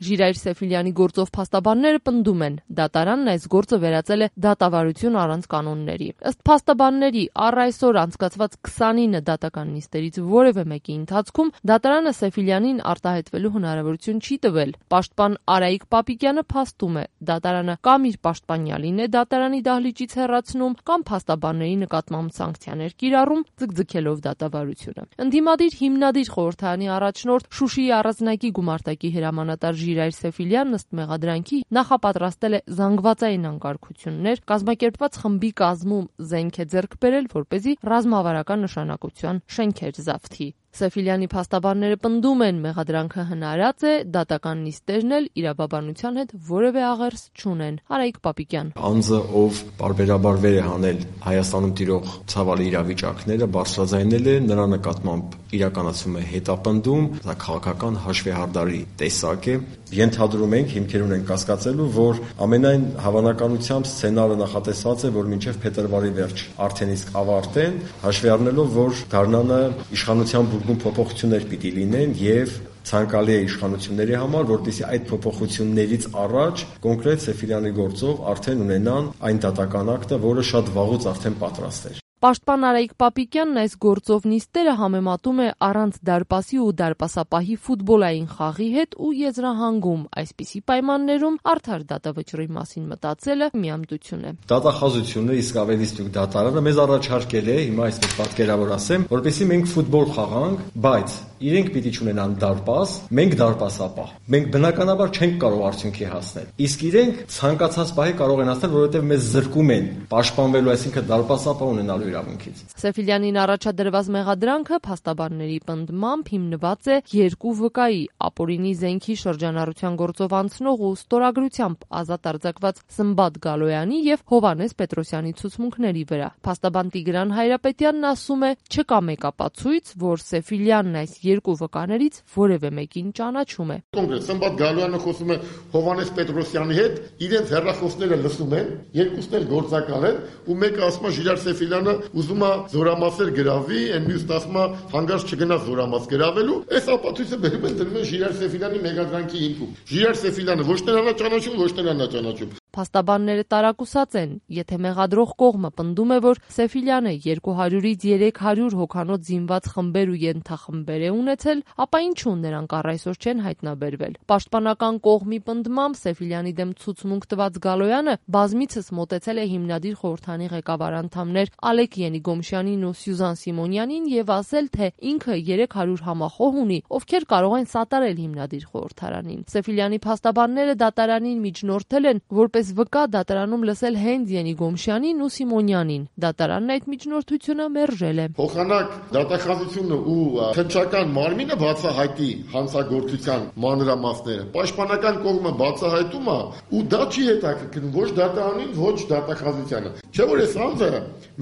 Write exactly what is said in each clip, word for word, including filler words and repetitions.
Ժիրայր Սեֆիլյանի գործով փաստաբանները պնդում են, դատարանն այս գործը վերածել է դատավարություն առանց կանոնների։ Ըստ փաստաբանների, առ այսօր անցկացված քսանինը դատական նիստերից որևէ մեկի ընթացքում դատարանը Սեֆիլյանին արտահայտվելու հնարավորություն չի տվել։ Պաշտպան Արայիկ Պապիկյանը փաստում է, դատարանը կամ իր պաշտպանյալին է դատարանի դահլիճից հեռացնում, կամ փաստաբանների նկատմամբ սանկցիաներ կիրառում, ձգձգելով դատավարությունը։ Ընդդիմադիր հիմնադիր խորհրդարանի առաջնորդ Շուշիի առանձնակի գումարտակի հրամանատար Ժիրայր Սեֆիլյանն ըստ մեղադրանքի նախապատրաստել է զանգվածային անկարգություններ, կազմակերպված խմբի կազմում զենք է ձեռք բերել, որպեսզի ռազմավարական նշանակության շենքեր զավթի։ Սեֆիլյանի փաստաբանները պնդում են, մեղադրանքը հնարած է, դատական նիստերն էլ իրավաբանության հետ որևէ աղերս չունեն։ Արայիկ Պապիկյան. Անձը, ով պարբերաբար վեր է հանել Հայաստանում տիրող ցավալի իրավիճակները, բարձրաձայնել է, նրա նկատմամբ իրականացում է հետապնդում, դա քաղաքական հաշվեհարդարի տեսակ է։ Ենթադրում ենք, հիմքեր ունենք կասկածելու, որ ամենայն հավանականությամբ սցենարը նախատեսված է, որ մինչև փետրվարի վերջ արդեն իսկ ավարտեն, հաշվի առնելով, որ գարնանը իշխանության բուրգում փոփոխություններ պիտի լինեն եւ ցանկալի է իշխանությունների համար, որպեսզի այդ փոփոխություններից առաջ կոնկրետ Սեֆիլյանի գործով արդեն ունենան այն դատական ակտը, որը շատ վաղուց արդեն պատրաստ էր։ Պաշտպան Արայիկ Պապիկյանն այս գործով նիստերը համեմատում է առանց դարպասի ու դարպասապահի ֆուտբոլային խաղի հետ ու եզրահանգում այսպիսի պայմաններում արդար դատավճռի մասին մտածելը միամտություն է։ Դատախազությունը, իսկ ավելի ստուգ դատարանը մեզ առաջարկել է, հիմա այսպես պատկերավոր ասեմ, որպեսզի մենք ֆուտբոլ խաղանք, բայց իրենք պիտի չունենան դարպաս, մենք դարպասապահ։ Մենք բնականաբար չենք կարող արդյունքի հասնել։ Իսկ իրենք ցանկացած պահի կարող են հասնել, որովհետև մեզ զրկում են պաշտպանվելու, այսինքն դարպասապահ ունենալու իրավունքից։ Սեֆիլյանին առաջադրված մեղադրանքը փաստաբանների պնդմամբ հիմնված է երկու վկայի՝ ապօրինի զենքի շրջանառության գործով անցնող ու ստորագրությամբ ազատ արձակված Սմբատ Գալոյանի եւ Հովհաննես Պետրոսյանի ցուցմունքների վրա։ Փաստաբան Տիգրան Հայրապետյանն ասում է, չկա մեկ ապացույց, որ Սեֆիլյանն այս երկու վկաներից որևէ մեկին ճանաչում է։ Կոնկրետ Սմբատ Գալոյանը խոսում է Հովհաննես Պետրոսյանի հետ, իրենց հեռախոսները լսում են, երկուսն էլ գործակալ են, ու մեկը ասում է Ժիրայր Սեֆիլյանը ուզում է զորամասեր գրավի, այն մյուսն ասում է հանգարց չգնա զորամաս գրավելու, այս ապացույցը բերում են դնում են Ժիրայր Սեֆիլյանի մեղադրանքի հիմքում։ Ժիրայր Սեֆիլյանը ոչ նրան է ճանաչում, ոչ նրան է ճանաչում։ Փաստաբանները տարակուսած են, եթե մեղադրող կողմը պնդում է, որ Սեֆիլյանը երկու հարյուրից երեք հարյուր հոգանոց զինված խմբեր ու ենթախմբեր է ունեցել, ապա ինչու նրանք առ այսօր չեն հայտնաբերվել։ Պաշտպանական կողմի պնդմամբ Սեֆիլյանի դեմ ցուցմունք տված Գալոյանը բազմիցս մոտեցել է հիմնադիր խորհրդանի ղեկավար անդամներ Ալեք Ենիգոմշյանին ու Սյուզան Սիմոնյանին եւ ասել, թե ինքը երեք հարյուր համախոհ ունի, ովքեր կարող են սատարել հիմնադիր խորհրդարանին։ Սեֆիլյանի փաստաբանները դատարանին միջնորդել են, որպես վկա դատարանում լսել հենց Ենիգոմշյանին ու Սիմոնյանին։ Դատարանն այդ միջնորդությունը մերժել է։ Փոխանակ դատախազությունը ու քննչական մարմինը բացահայտի հանցագործության մանրամասները։ Պաշտպանական կողմը բացահայտում է ու դա չի հետաքրքրում ոչ դատարանին, ոչ դատախազությանը։ Չէ՞ որ այս անձը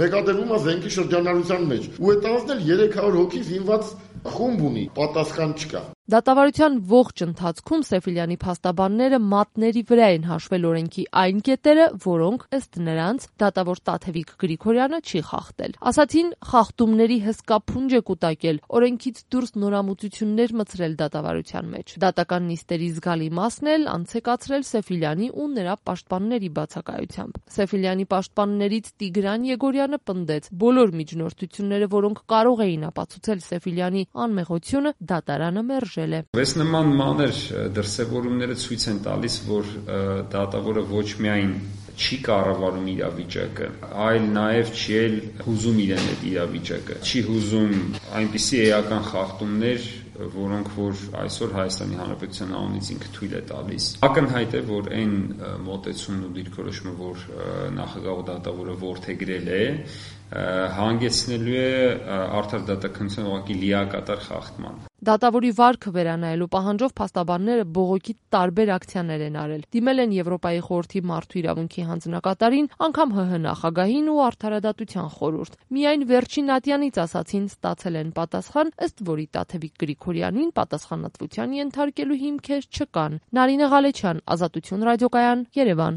մեկադրվում է զենքի շրջանառության մեջ ու այդ անձն էլ երեք հարյուր հոգի զինված խումբ ունի, պատասխան չկա։ Դատավարության ողջ ընթացքում Սեֆիլյանի փաստաբանները մատների վրա են հաշվել օրենքի այն կետերը, որոնք ըստ նրանց դատավոր Տաթևիկ Գրիգորյանը չի խախտել։ Ասացին, խախտումների հսկա փունջ է կուտակել, օրենքից դուրս նորամուծություններ մտցրել դատավարության մեջ։ Դատական նիստերի զգալի մասն էլ անցեկացրել Սեֆիլյանի ու նրա պաշտպանների բացակայությամբ։ Սեֆիլյանի պաշտպաններից Տիգրան Եգորյանը պնդեց, բոլոր միջնորդությունները, որոնք կարող էին ապացուցել Սեֆիլյանի անմեղությունը, դատարանը մերժել։ Այս նման մանր դրսևորումները ցույց են տալիս, որ դատավորը ոչ միայն չի կառավարում իրավիճակը, այլ նաև չի էլ հուզում իրեն այդ իրավիճակը, չի հուզում այնպիսի էական խախտումներ, որոնք որ այսօր Հայաստանի Հանրապետության անունից ինքը թույլ է տալիս։ Ակնհայտ է, որ այն մոտեցումն ու դիրքորոշումը, որ նախագահ ու դատավորը որդեգրել է, հանգեցնելու է արդար դատականության ուղղակի լիակատար խախտման։ Դատավորի վարքը վերանայելու պահանջով փաստաբանները բողոքի տարբեր ակցիաներ են արել։ Դիմել են Եվրոպայի խորհրդի մարդու իրավունքի հանձնակատարին, անգամ ՀՀ նախագահին ու Արդարադատության խորհուրդ։ Միայն վերջին ատյանից ասացին ստացել են պատասխան, ըստ որի Տաթևիկ Գրիգորյանին պատասխանատվության ենթարկելու հիմքեր չկան։ Նարինե Ղալեչյան, Ազատություն ռադիոկայան, Երևան։